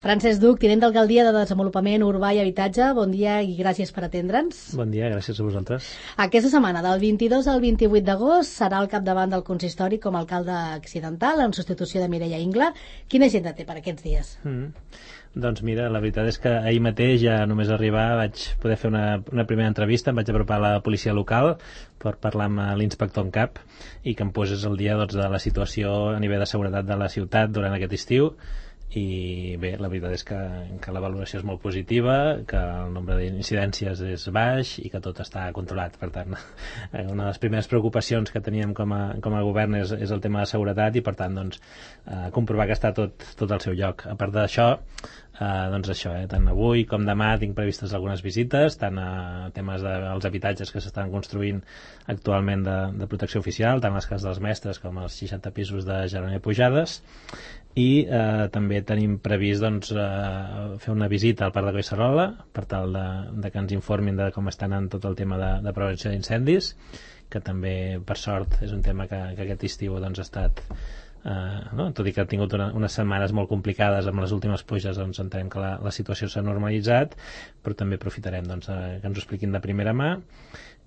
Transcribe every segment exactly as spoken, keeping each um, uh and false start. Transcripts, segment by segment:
Francesc Duc, tinent d'Alcaldia de Desenvolupament Urbà i Habitatge, bon dia i gràcies per atendre'ns. Bon dia, gràcies a vosaltres. Aquesta setmana, del vint-i-dos al vint-i-vuit d'agost, serà al capdavant del consistori com a alcalde accidental en substitució de Mireia Ingla. Quina agenda té per aquests dies? Mm. Doncs mira, la veritat és que ahir mateix, ja només arribar, vaig poder fer una, una primera entrevista, em vaig apropar a la policia local per parlar amb l'inspector en cap i que em posés al dia doncs, de la situació a nivell de seguretat de la ciutat durant aquest estiu. I bé, la veritat és que, que la valoració és molt positiva, que el nombre d'incidències és baix i que tot està controlat. Per tant, una de les primeres preocupacions que teníem com a, com a govern és, és el tema de seguretat i per tant doncs, eh, comprovar que està tot, tot al seu lloc. A part d'això, eh, doncs això, eh, tant avui com demà tinc previstes algunes visites, tant a temes dels habitatges que s'estan construint actualment de, de protecció oficial, tant les cases dels mestres com els seixanta pisos de Jeroni Pujades, i eh, també tenim previst doncs, eh, fer una visita al Parc de Collserola per tal de, de que ens informin de com estan en tot el tema de, de prevenció d'incendis, que també per sort és un tema que, que aquest estiu doncs, ha estat eh, no? Tot i que ha tingut una, unes setmanes molt complicades amb les últimes pluges, doncs entenem que la, la situació s'ha normalitzat, però també aprofitarem doncs, eh, que ens ho expliquin de primera mà.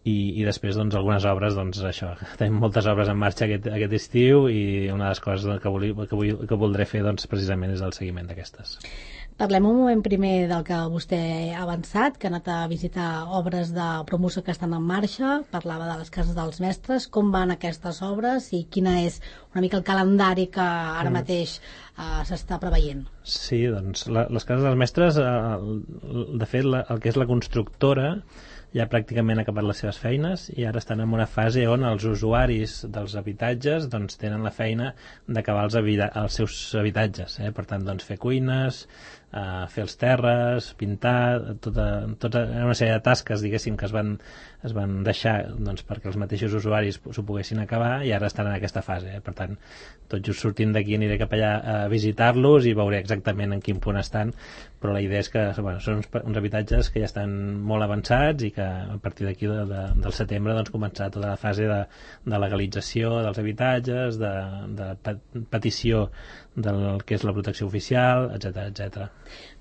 I, i després doncs, algunes obres, doncs això, tenim moltes obres en marxa aquest, aquest estiu i una de les coses que, vol, que, vull, que voldré fer doncs, precisament és el seguiment d'aquestes. Parlem un moment primer del que vostè ha avançat, que ha anat a visitar obres de promoció que estan en marxa, parlava de les cases dels mestres, com van aquestes obres i quina és una mica el calendari que ara mm. mateix uh, s'està preveient. Sí, doncs la, les cases dels mestres, uh, de fet la, el que és la constructora ja pràcticament ha acabat les seves feines i ara estan en una fase on els usuaris dels habitatges doncs, tenen la feina d'acabar els, els seus habitatges, eh? Per tant doncs, fer cuines, eh, fer els terres, pintar, tota, tota una sèrie de tasques diguéssim que es van, es van deixar doncs, perquè els mateixos usuaris s'ho poguessin acabar i ara estan en aquesta fase, eh? Per tant tot just sortint d'aquí aniré cap allà a visitar-los i veuré exactament en quin punt estan, però la idea és que bueno, són uns, uns habitatges que ja estan molt avançats i que a partir d'aquí de, de, del setembre doncs, començarà tota la fase de, de legalització dels habitatges, de, de petició del que és la protecció oficial, etcètera, etcètera.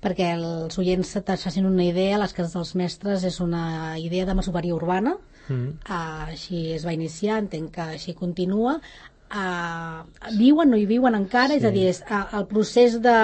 Perquè els oients et facin una idea, les cases dels mestres és una idea de masoveria urbana, mm. uh, així es va iniciar, entenc que així continua. Uh, viuen, no hi viuen encara, sí. És a dir, és, uh, el procés de,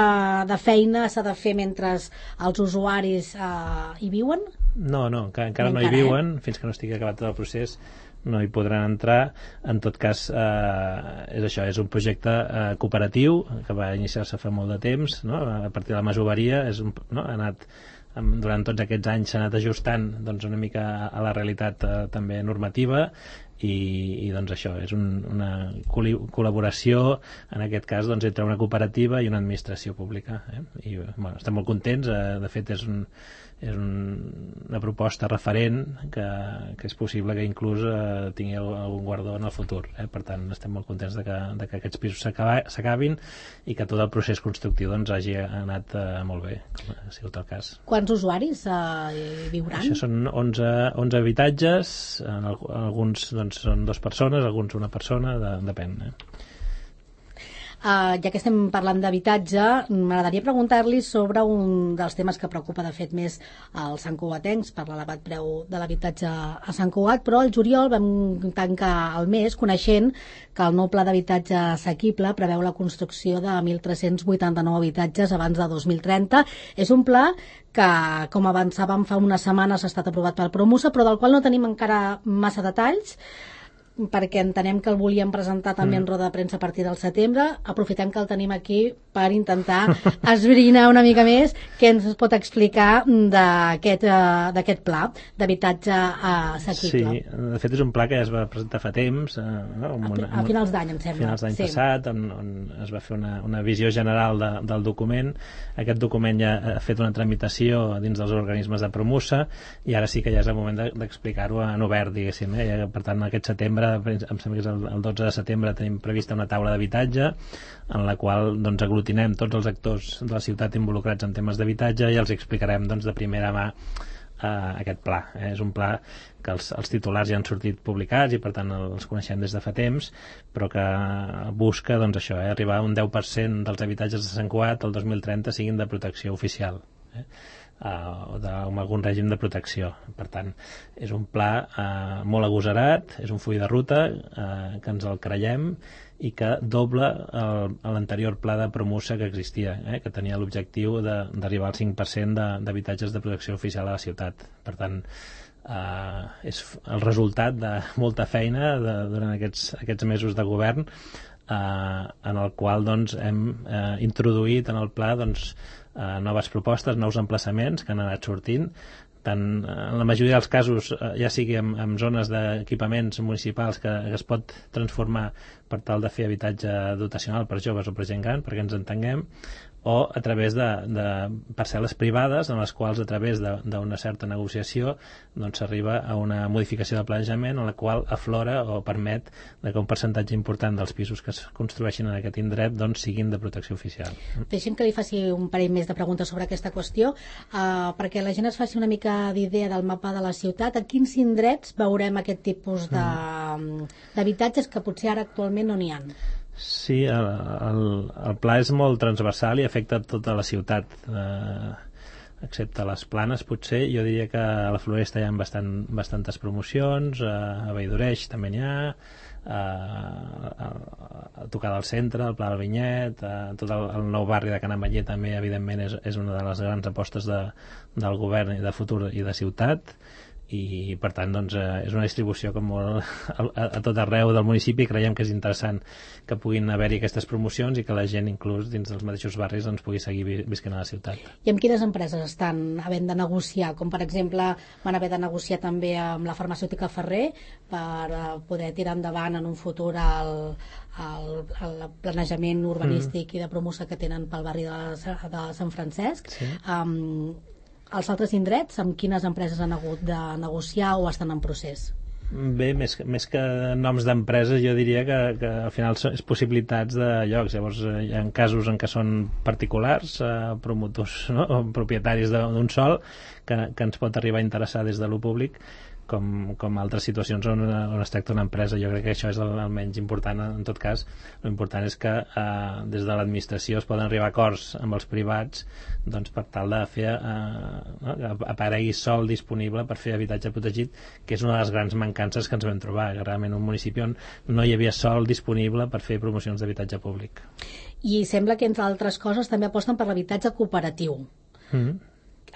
de feina s'ha de fer mentre els usuaris uh, hi viuen? No, no, encara, encara no, no hi viuen, eh? Fins que no estigui acabat tot el procés no hi podran entrar. En tot cas, eh, és això, és un projecte eh, cooperatiu que va iniciar-se fa molt de temps, no? A partir de la masoveria, és un, no? ha anat durant tots aquests anys s'ha anat ajustant doncs, una mica a la realitat eh, també normativa i, i doncs això, és un, una col·laboració en aquest cas doncs, entre una cooperativa i una administració pública, eh? I bueno, estem molt contents, eh, de fet és un és un, una proposta referent que, que és possible que inclús eh, tingui algun guardó en el futur, eh? Per tant estem molt contents de que, de que aquests pisos s'acabin i que tot el procés constructiu doncs, hagi anat eh, molt bé, com ha sigut el cas. Quants usuaris eh, hi viuran? Això són onze, onze habitatges, en el, alguns doncs, són dues persones, alguns una persona, de, depèn, eh? Uh, ja que estem parlant d'habitatge, m'agradaria preguntar-li sobre un dels temes que preocupa de fet més als santcugatencs per l'elevat preu de l'habitatge a Sant Cugat, però al juliol vam tancar el mes coneixent que el nou pla d'habitatge assequible preveu la construcció de mil tres-cents vuitanta-nou habitatges abans de dos mil trenta. És un pla que, com avançàvem fa unes setmanes, ha estat aprovat pel Promusa, però del qual no tenim encara massa detalls, perquè entenem que el volíem presentar també mm. en roda de premsa a partir del setembre. Aprofitem que el tenim aquí per intentar esbrinar una mica més què ens pot explicar d'aquest uh, d'aquest pla d'habitatge assequible. Sí, de fet és un pla que ja es va presentar fa temps, eh, no? una, a, a finals d'any, em sembla. A finals d'any sí. passat, on, on es va fer una, una visió general de, del document. Aquest document ja ha fet una tramitació dins dels organismes de Promusa i ara sí que ja és el moment d'explicar-ho en obert, diguéssim. Eh? Per tant, aquest setembre, em sembla que és el, el dotze de setembre, tenim prevista una taula d'habitatge en la qual doncs, aglutinem tots els actors de la ciutat involucrats en temes d'habitatge i els explicarem doncs, de primera mà uh, aquest pla. Eh? És un pla que els, els titulars ja han sortit publicats i per tant els coneixem des de fa temps, però que busca doncs, això, eh? arribar a un deu per cent dels habitatges de Sant Cugat el dos mil trenta siguin de protecció oficial. Eh? Uh, o amb algun règim de protecció. Per tant, és un pla uh, molt agosarat, és un full de ruta uh, que ens el creiem i que dobla l'anterior pla de Promusa que existia, eh, que tenia l'objectiu d'arribar al cinc per cent d'habitatges de, de protecció oficial a la ciutat. Per tant, eh, és el resultat de molta feina de, durant aquests, aquests mesos de govern, eh, en el qual doncs, hem eh, introduït en el pla doncs, eh, noves propostes, nous emplaçaments que han anat sortint, tant en la majoria dels casos, ja sigui en, en zones d'equipaments municipals que, que es pot transformar per tal de fer habitatge dotacional per joves o per gent gran, perquè ens entenguem, o a través de, de parcel·les privades en les quals a través d'una certa negociació doncs s'arriba a una modificació de planejament en la qual aflora o permet que un percentatge important dels pisos que es construeixin en aquest indret doncs siguin de protecció oficial. Deixem que li faci un parell més de preguntes sobre aquesta qüestió, uh, perquè la gent es faci una mica d'idea del mapa de la ciutat. A quins indrets veurem aquest tipus d'habitatges que potser ara actualment no n'hi ha? Sí, el, el, el pla és molt transversal i afecta tota la ciutat, eh, excepte les planes potser. Jo diria que a la Floresta hi ha bastant, bastantes promocions, eh, a Valldoreix també n'hi ha, eh, a, a tocar del centre, el Pla del Vinyet, eh, tot el, el nou barri de Can Ametller també evidentment és, és una de les grans apostes de, del govern i de futur i de ciutat, i per tant doncs, eh, és una distribució com molt a, a tot arreu del municipi. Creiem que és interessant que puguin haver-hi aquestes promocions i que la gent inclús dins dels mateixos barris doncs, pugui seguir vi visquent a la ciutat. I amb quines empreses estan havent de negociar? Com per exemple van haver de negociar també amb la farmacèutica Ferrer per uh, poder tirar endavant en un futur el, el, el planejament urbanístic mm. i de promoció que tenen pel barri de, de Sant Francesc. Sí. Um, Els altres indrets, amb quines empreses han hagut de negociar o estan en procés? Bé, més, més que noms d'empreses, jo diria que, que al final són possibilitats de llocs. Llavors, hi ha casos en què són particulars, eh, promotors, no? O propietaris d'un sol, que, que ens pot arribar a interessar des de lo públic, com, com altres situacions on, on es tracta una empresa. Jo crec que això és el, el menys important. En tot cas, l'important és que eh, des de l'administració es poden arribar a acords amb els privats doncs, per tal de fer eh, no? que aparegui sol disponible per fer habitatge protegit, que és una de les grans mancances que ens vam trobar, que realment un municipi on no hi havia sol disponible per fer promocions d'habitatge públic. I sembla que, entre altres coses, també aposten per l'habitatge cooperatiu. Mm-hmm.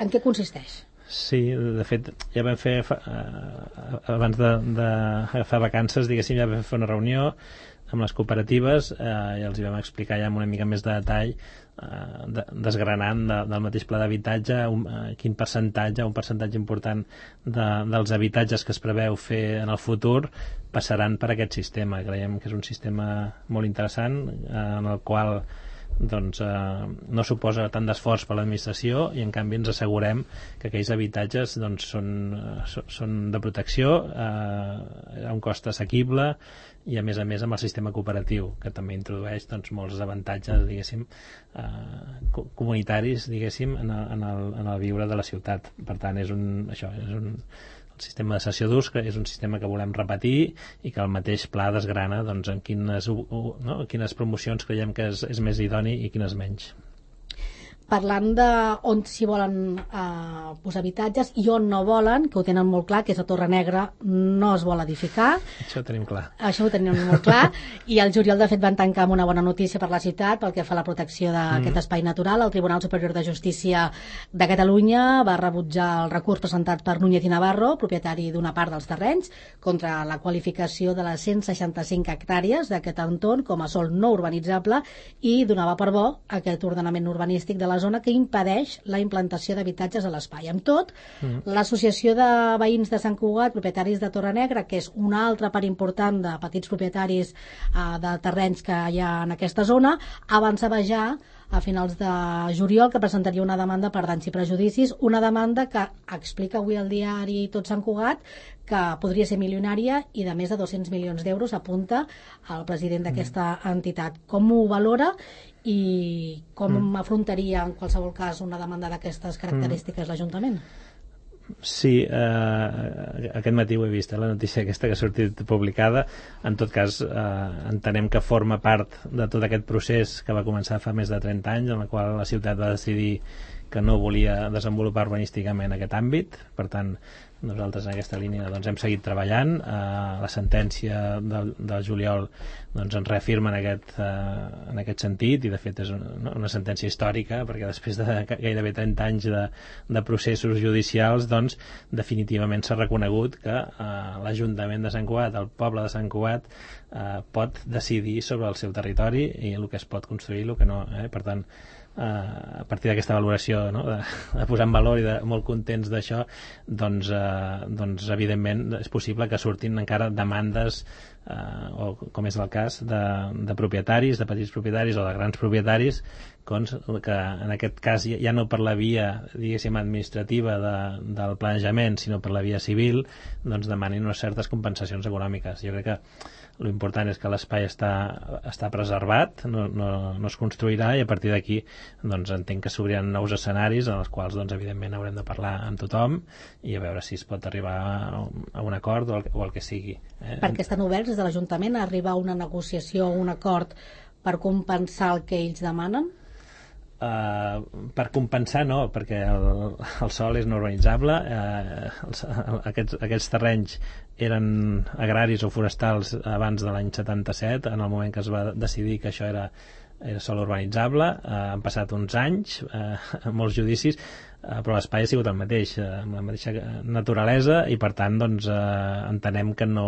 En què consisteix? Sí, de fet, ja vam fer, eh, abans d'agafar de, de vacances, diguéssim, ja vam fer una reunió amb les cooperatives eh, i els hi vam explicar ja amb una mica més de detall, eh, de, desgranant de, del mateix pla d'habitatge eh, quin percentatge, un percentatge important de, dels habitatges que es preveu fer en el futur passaran per aquest sistema. Creiem que és un sistema molt interessant eh, en el qual doncs, eh, no suposa tant d'esforç per l'administració i en canvi ens assegurem que aquells habitatges doncs, són, eh, són de protecció eh, a un cost assequible i a més a més amb el sistema cooperatiu, que també introdueix doncs, molts avantatges diguéssim eh, comunitaris diguéssim en el, en, el, en el viure de la ciutat. Per tant és un, això, és un sistema de cessió d'ús, que és un sistema que volem repetir i que el mateix pla desgrana doncs, en quines, no, quines promocions creiem que és, és més idoni i quines menys. Parlant de on s'hi volen eh, posar habitatges i on no volen, que ho tenen molt clar, que és a Torre Negra, no es vol edificar. Això ho tenim clar. Això ho tenim molt clar. I el juliol, de fet, van tancar amb una bona notícia per la ciutat pel que fa a la protecció d'aquest mm. espai natural. El Tribunal Superior de Justícia de Catalunya va rebutjar el recurs presentat per Núñez i Navarro, propietari d'una part dels terrenys, contra la qualificació de les cent seixanta-cinc hectàrees d'aquest entorn com a sòl no urbanitzable i donava per bo aquest ordenament urbanístic de la zona que impedeix la implantació d'habitatges a l'espai. Amb tot, mm. l'Associació de Veïns de Sant Cugat, propietaris de Torre Negra, que és una altra part important de petits propietaris eh, de terrenys que hi ha en aquesta zona, avançava ja a finals de juliol que presentaria una demanda per danys i prejudicis, una demanda que explica avui al diari Tot Sant Cugat que podria ser milionària i de més de dos-cents milions d'euros, apunta el president d'aquesta entitat. Com ho valora i com mm. afrontaria en qualsevol cas una demanda d'aquestes característiques mm. l'Ajuntament? Sí, eh, aquest matí ho he vist, eh, la notícia aquesta que ha sortit publicada. En tot cas, eh, entenem que forma part de tot aquest procés que va començar fa més de trenta anys, en el qual la ciutat va decidir que no volia desenvolupar urbanísticament aquest àmbit. Per tant, nosaltres en aquesta línia doncs, hem seguit treballant. Eh, la sentència del, del juliol doncs, ens reafirma en aquest, eh, en aquest sentit, i de fet és una, una sentència històrica, perquè després de gairebé trenta anys de, de processos judicials, doncs, definitivament s'ha reconegut que eh, l'Ajuntament de Sant Cugat, el poble de Sant Cugat, eh, pot decidir sobre el seu territori i el que es pot construir i el que no. Eh? Per tant, Uh, a partir d'aquesta valoració, no? de, de posar en valor i de molt contents d'això, doncs, uh, doncs evidentment és possible que surtin encara demandes uh, o com és el cas de, de propietaris, de petits propietaris o de grans propietaris doncs, que en aquest cas ja, ja no per la via diguéssim administrativa de, del planejament sinó per la via civil, doncs demanin unes certes compensacions econòmiques. Jo crec que l'important és que l'espai està, està preservat, no, no, no es construirà, i a partir d'aquí doncs, entenc que s'obriran nous escenaris en els quals doncs, evidentment haurem de parlar amb tothom i a veure si es pot arribar a, a un acord o el, o el que sigui. Eh? Perquè estan oberts des de l'Ajuntament a arribar a una negociació o un acord per compensar el que ells demanen? Uh, per compensar no, perquè el, el sòl és no urbanitzable. uh, els, aquests, aquests terrenys eren agraris o forestals abans de l'any setanta-set, en el moment que es va decidir que això era, era sòl urbanitzable. Uh, han passat uns anys, uh, molts judicis, uh, però l'espai ha sigut el mateix, uh, amb la mateixa naturalesa, i per tant doncs, uh, entenem que no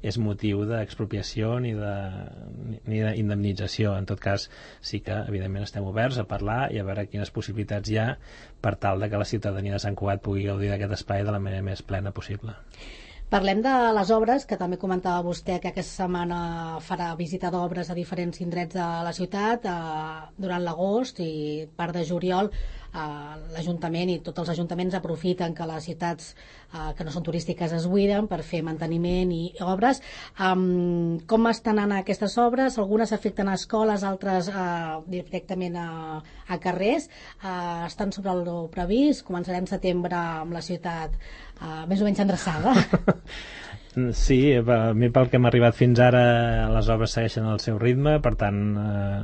és motiu d'expropiació ni de, ni d'indemnització. En tot cas, sí que evidentment estem oberts a parlar i a veure quines possibilitats hi ha per tal de que la ciutadania de Sant Cugat pugui gaudir d'aquest espai de la manera més plena possible. Parlem de les obres, que també comentava vostè que aquesta setmana farà visita d'obres a diferents indrets de la ciutat. Eh, durant l'agost i part de juliol eh, l'Ajuntament i tots els ajuntaments aprofiten que les ciutats eh, que no són turístiques es buiden per fer manteniment i obres. Um, com estan anant aquestes obres? Algunes afecten a escoles, altres eh, directament a, a carrers. Eh, estan sobre el previst. Començarem setembre amb la ciutat Uh, més o menys endreçada. Sí, a mi pel que hem arribat fins ara les obres segueixen el seu ritme, per tant eh,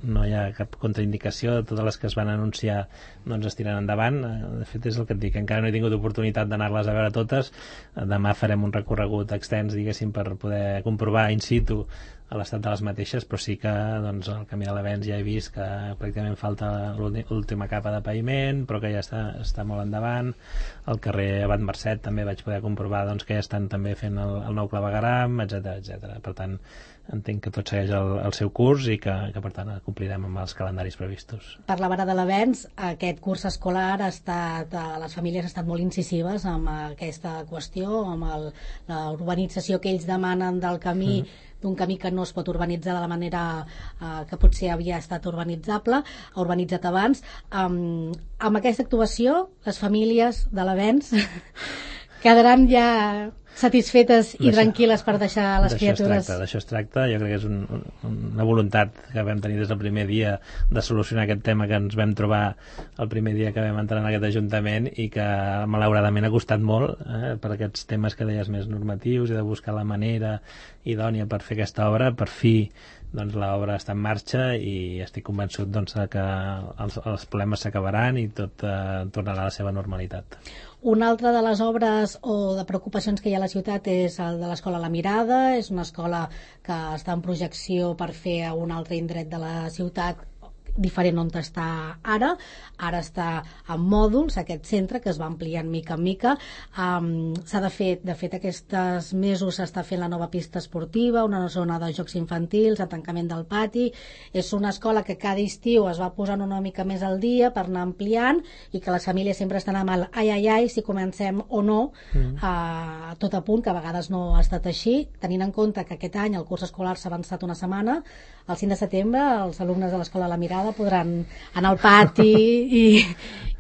no hi ha cap contraindicació. Totes les que es van anunciar doncs es tiren endavant. De fet és el que et dic, encara no he tingut oportunitat d'anar-les a veure totes. Demà farem un recorregut extens, diguéssim, per poder comprovar in situ a l'estat de les mateixes, però sí que doncs, el camí de l'Avenç ja he vist que pràcticament falta l'última capa de paviment, però que ja està, està molt endavant. Al carrer Abat Mercet també vaig poder comprovar doncs, que ja estan també fent el, el nou clavegueram, etcètera etcètera. Per tant, entenc que tot segueix el, el seu curs i que, que per tant complirem amb els calendaris previstos. Parlava de l'Avenç, aquest curs escolar ha estat, les famílies han estat molt incisives amb aquesta qüestió, amb el, la urbanització que ells demanen del camí, mm. d'un camí que no es pot urbanitzar de la manera eh, que potser havia estat urbanitzable, urbanitzat abans. Um, amb aquesta actuació, les famílies de l'Avenç quedaran ja satisfetes i tranquil·les per deixar les criatures. D'això es tracta, jo crec que és un, un, una voluntat que vam tenir des del primer dia de solucionar aquest tema que ens vam trobar el primer dia que vam entrar en aquest Ajuntament i que malauradament ha costat molt eh, per aquests temes que deies més normatius i de buscar la manera idònia per fer aquesta obra. Per fi doncs l'obra està en marxa i estic convençut doncs, que els, els problemes s'acabaran i tot eh, tornarà a la seva normalitat. Una altra de les obres o de preocupacions que hi ha a la ciutat és el de l'Escola La Mirada. És una escola que està en projecció per fer a un altre indret de la ciutat diferent on està ara. Ara està en mòduls, aquest centre, que es va ampliant mica en mica. Um, s'ha de fer, de fet, aquests mesos s'està fent la nova pista esportiva, una zona de jocs infantils, el tancament del pati. És una escola que cada estiu es va posant una mica més al dia per anar ampliant i que les famílies sempre estan amb el ai, ai, ai, si comencem o no, mm. uh, tot a punt, que a vegades no ha estat així, tenint en compte que aquest any el curs escolar s'ha avançat una setmana. El cinc de setembre els alumnes de l'Escola La Mirada podran anar al pati i,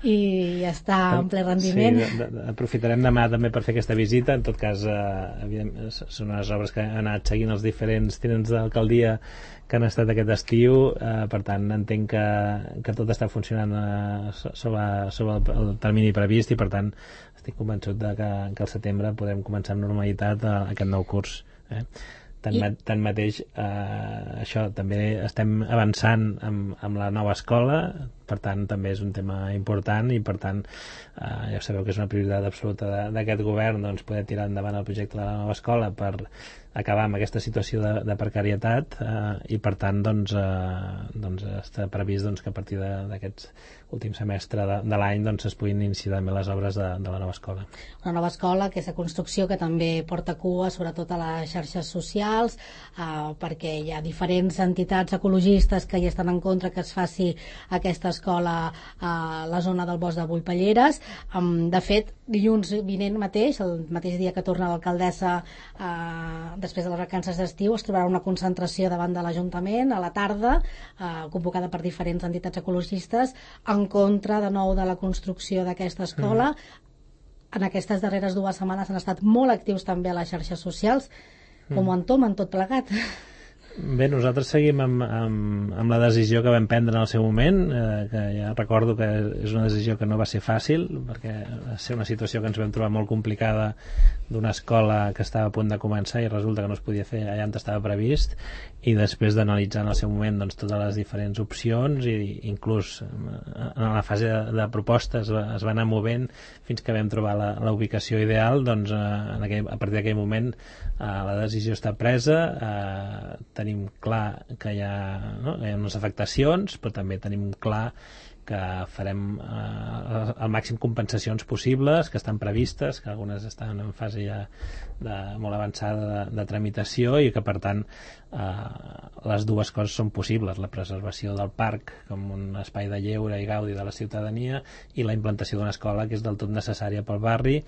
i està en ple rendiment. Sí, de, de, aprofitarem demà també per fer aquesta visita. En tot cas, eh, són unes obres que han anat seguint els diferents tinents d'alcaldia que han estat aquest estiu, eh, per tant entenc que, que tot està funcionant eh, sobre, sobre el, el termini previst, i per tant estic convençut de que, que al setembre podrem començar amb normalitat eh, aquest nou curs. Eh? Tanmateix, tanmateix eh, això, també estem avançant amb, amb la nova escola, per tant també és un tema important, i per tant eh, ja sabeu que és una prioritat absoluta d'aquest govern, doncs, poder tirar endavant el projecte de la nova escola per acabar amb aquesta situació de, de precarietat, eh, i per tant doncs, eh, doncs està previst doncs, que a partir d'aquest últim semestre de, de l'any doncs, es puguin iniciar també les obres de, de la nova escola. Una nova escola, aquesta construcció que també porta cua sobretot a les xarxes socials, eh, perquè hi ha diferents entitats ecologistes que hi estan en contra que es faci aquesta escola a la zona del bosc de Bullpelleres. Um, de fet, dilluns vinent mateix, el mateix dia que torna l'alcaldessa eh, després de les vacances d'estiu, es trobarà una concentració davant de l'Ajuntament a la tarda, eh, convocada per diferents entitats ecologistes, en contra de nou de la construcció d'aquesta escola. Mm. En aquestes darreres dues setmanes han estat molt actius també a les xarxes socials. Com mm. ho entomen tot plegat? Bé, nosaltres seguim amb, amb, amb la decisió que vam prendre en el seu moment, eh, que ja recordo que és una decisió que no va ser fàcil, perquè va ser una situació que ens vam trobar molt complicada, d'una escola que estava a punt de començar i resulta que no es podia fer allà on estava previst, i després d'analitzar en el seu moment doncs, totes les diferents opcions, i inclús en la fase de, de propostes es va anar movent fins que vam trobar la, la ubicació ideal. Doncs en aquell, a partir d'aquell moment eh, la decisió està presa, eh, tenim clar que hi ha, no? hi ha unes afectacions, però també tenim clar que farem eh, el màxim compensacions possibles, que estan previstes, que algunes estan en fase ja de, molt avançada de, de tramitació, i que per tant eh, les dues coses són possibles: la preservació del parc com un espai de lleure i gaudi de la ciutadania, i la implantació d'una escola que és del tot necessària pel barri,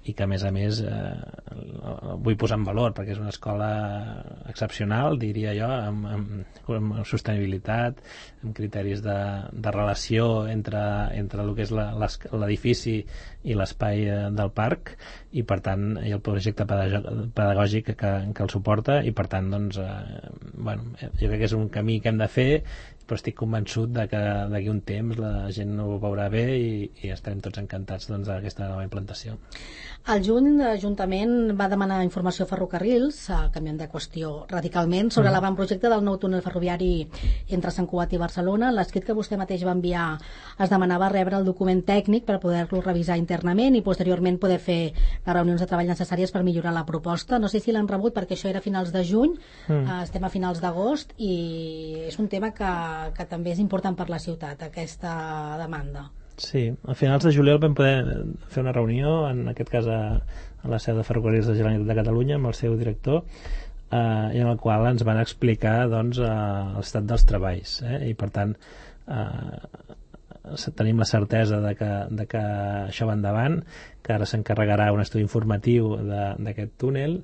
i que a més a més eh, vull posar en valor perquè és una escola excepcional, diria jo, amb, amb, amb sostenibilitat, amb criteris de, de relació entre, entre el que és l'edifici i l'espai del parc, i per tant i el projecte pedagògic que, que el suporta, i per tant doncs, eh, bueno, jo crec que és un camí que hem de fer, però estic convençut de que d'aquí un temps la gent ho veurà bé, i, i estarem tots encantats doncs, d'aquesta nova implantació. Al juny l'Ajuntament va demanar informació a Ferrocarrils, canviant de qüestió radicalment, sobre mm. l'avantprojecte del nou túnel ferroviari entre Sant Cugat i Barcelona. L'escrit que vostè mateix va enviar es demanava rebre el document tècnic per poder-lo revisar internament i posteriorment poder fer les reunions de treball necessàries per millorar la proposta. No sé si l'han rebut, perquè això era a finals de juny, mm. eh, estem a finals d'agost, i és un tema que, que també és important per la ciutat, aquesta demanda. Sí, a finals de juliol vam poder fer una reunió, en aquest cas a, a la seu de Ferrocarrils de la Generalitat de Catalunya, amb el seu director, eh, i en el qual ens van explicar doncs, eh, l'estat dels treballs, eh, i per tant eh, tenim la certesa de que, de que això va endavant, que ara s'encarregarà un estudi informatiu d'aquest túnel,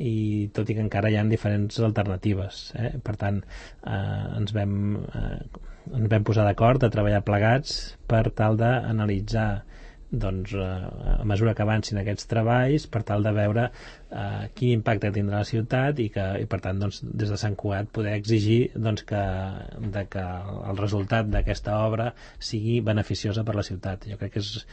i tot i que encara hi ha diferents alternatives, eh? Per tant eh, ens vam eh, ens vam posar d'acord a treballar plegats per tal d'analitzar doncs, eh, a mesura que avancin aquests treballs, per tal de veure eh, quin impacte tindrà la ciutat, i que i per tant doncs, des de Sant Cugat poder exigir doncs, que, de que el resultat d'aquesta obra sigui beneficiosa per la ciutat. Jo crec que és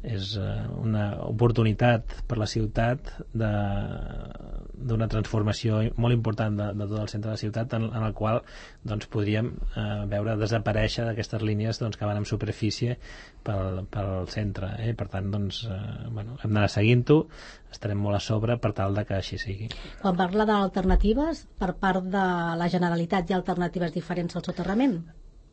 és una oportunitat per la ciutat d'una transformació molt important de, de tot el centre de la ciutat, en, en el qual doncs, podríem eh, veure desaparèixer d'aquestes línies doncs, que van en superfície pel, pel centre, eh? Per tant doncs, eh, bueno, hem d'anar seguint-ho, estarem molt a sobre per tal de que així sigui. Quan parla d'alternatives, per part de la Generalitat hi ha alternatives diferents al soterrament?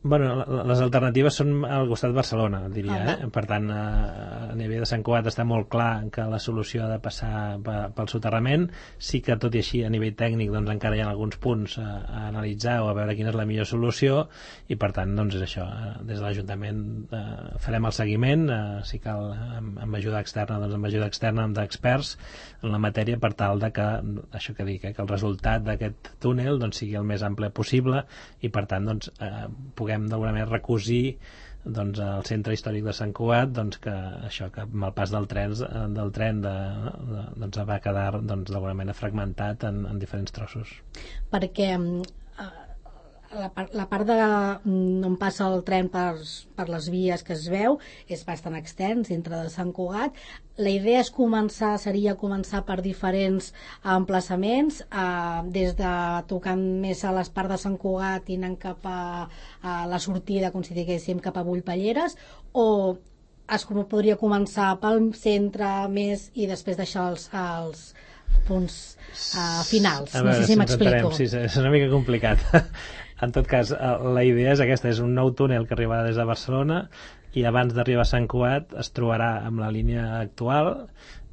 Bueno, les alternatives són al costat de Barcelona, diria. Uh -huh. eh? Per tant, a nivell de Sant Cugat està molt clar que la solució ha de passar pel soterrament. Sí que, tot i així, a nivell tècnic doncs, encara hi ha alguns punts a, a analitzar o a veure quina és la millor solució, i per tant, doncs és això. Des de l'Ajuntament eh, farem el seguiment, eh, si cal amb, amb ajuda externa, doncs amb ajuda externa, amb d'experts en la matèria, per tal de que, això que dic, eh, que el resultat d'aquest túnel doncs, sigui el més ample possible, i per tant, doncs, eh, puguem d'alguna manera recosir doncs, al centre històric de Sant Cugat, doncs, que això, que amb el pas del tren, del tren de, de, doncs, va quedar doncs, d'alguna manera fragmentat en, en diferents trossos. Perquè eh, la, part, la part de on passa el tren per, per les vies que es veu és bastant extens dintre de Sant Cugat. La idea és començar, seria començar per diferents emplaçaments, eh, des de tocant més a les parts de Sant Cugat i anant cap a, a la sortida, com si diguéssim, cap a Bullpalleres, o es podria començar pel centre més i després deixar els, els punts uh, finals. Veure, no sé si m'explico. Sí, és una mica complicat. En tot cas, la idea és aquesta, és un nou túnel que arribarà des de Barcelona i abans d'arribar a Sant Cugat es trobarà amb la línia actual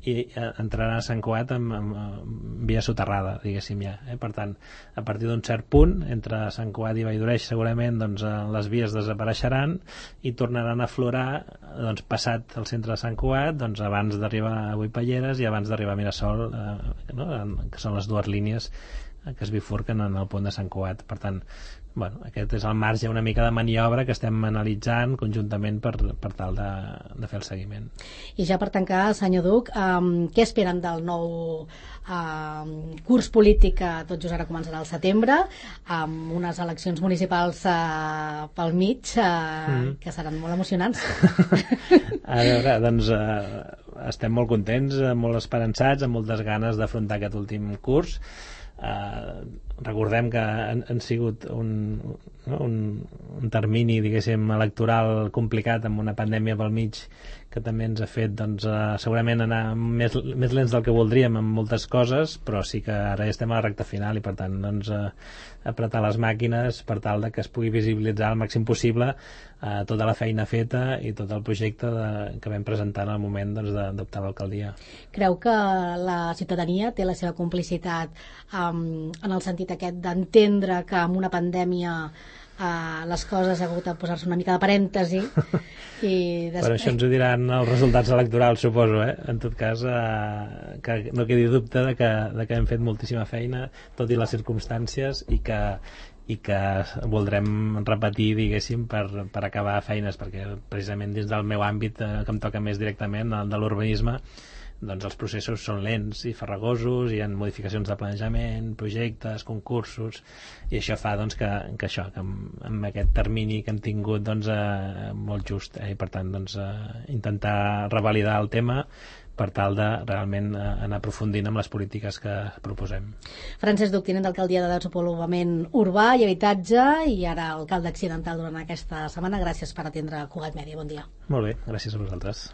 i entrarà a Sant Cugat amb, amb, amb via soterrada, diguéssim ja. Eh? Per tant, a partir d'un cert punt, entre Sant Cugat i Valldoreix, segurament doncs, les vies desapareixeran i tornaran a aflorar doncs, passat el centre de Sant Cugat, doncs, abans d'arribar a Buipalleres i abans d'arribar a Mirasol, eh, no? Que són les dues línies que es bifurquen en el punt de Sant Cugat. Per tant, bueno, aquest és el marge una mica de maniobra que estem analitzant conjuntament per, per tal de, de fer el seguiment. I ja per tancar, senyor Duc, um, què esperen del nou um, curs polític que tot just ara començarà al setembre, amb unes eleccions municipals uh, pel mig uh, mm. que seran molt emocionants? A veure, doncs uh, estem molt contents, molt esperançats, amb moltes ganes d'afrontar aquest últim curs. Uh, recordem que han, han sigut un, no, un, un termini, diguéssim, electoral complicat amb una pandèmia pel mig que també ens ha fet doncs, uh, segurament anar més, més lents del que voldríem en moltes coses, però sí que ara ja estem a la recta final i per tant doncs, uh, apretar les màquines per tal de que es pugui visibilitzar al màxim possible uh, tota la feina feta i tot el projecte de, que vam presentar en el moment doncs, d'adoptar l'alcaldia. Creu que la ciutadania té la seva complicitat um, en el sentit aquest d'entendre que amb una pandèmia uh, les coses ha hagut de posar-se una mica de parèntesi i després... Però això ens ho diran els resultats electorals, suposo, eh? En tot cas, uh, que no quedi dubte de que, de que hem fet moltíssima feina, tot i les circumstàncies, i que i que voldrem repetir, diguéssim, per, per acabar feines, perquè precisament dins del meu àmbit eh, que em toca més directament, el de l'urbanisme, doncs els processos són lents i farragosos, hi ha modificacions de planejament, projectes, concursos, i això fa doncs, que, que això, que amb, amb aquest termini que hem tingut doncs, eh, molt just, eh, i per tant doncs, eh, intentar revalidar el tema per tal de realment eh, anar aprofundint amb les polítiques que proposem. Francesc Duc, tinent d'alcaldia de Desenvolupament Urbà i Habitatge i ara alcalde accidental durant aquesta setmana. Gràcies per atendre Cugat Mèdia. Bon dia. Molt bé, gràcies a vosaltres.